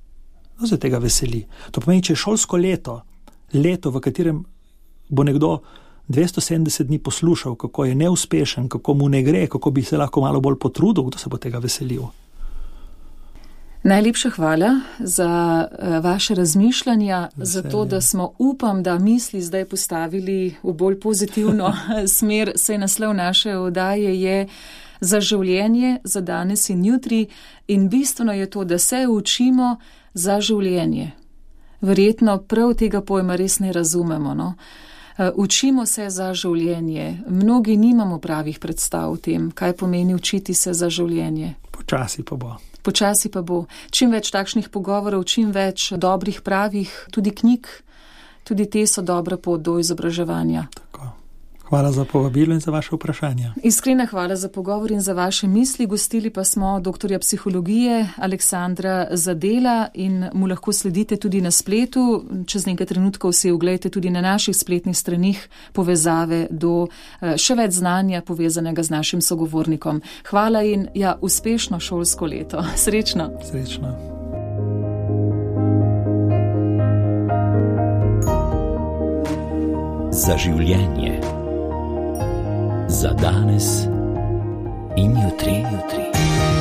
Kdo se tega veseli? To pomeni, če je šolsko leto, leto, v katerem bo nekdo dvesto sedemdeset dni poslušal, kako je neuspešen, kako mu ne gre, kako bi se lahko malo bolj potrudil, kdo se bo tega veselil. Najlepša hvala za uh, vaše razmišljanja, Veselje. Za to, da smo, upam, da misli zdaj postavili v bolj pozitivno smer. Saj naslov naše oddaje je Za življenje, za danes in jutri, in bistveno je to, da se učimo za življenje. Verjetno prav tega pojma res ne razumemo, no? Učimo se za življenje. Mnogi nimamo pravih predstav o tem, kaj pomeni učiti se za življenje. Počasi pa bo. Počasi pa bo. Čim več takšnih pogovorov, čim več dobrih, pravih, tudi knjig, tudi te so dobra pot do izobraževanja. Tako. Hvala za povabilo in za vaše vprašanje. Iskrena hvala za pogovor in za vaše misli. Gostili pa smo doktorja psihologije Aleksandra Zadela in mu lahko sledite tudi na spletu. Čez nekaj trenutkov si oglejte tudi na naših spletnih stranih povezave do še več znanja povezanega z našim sogovornikom. Hvala in ja, uspešno šolsko leto. Srečno. Srečno. Za življenje. Za danes in jutri, jutri.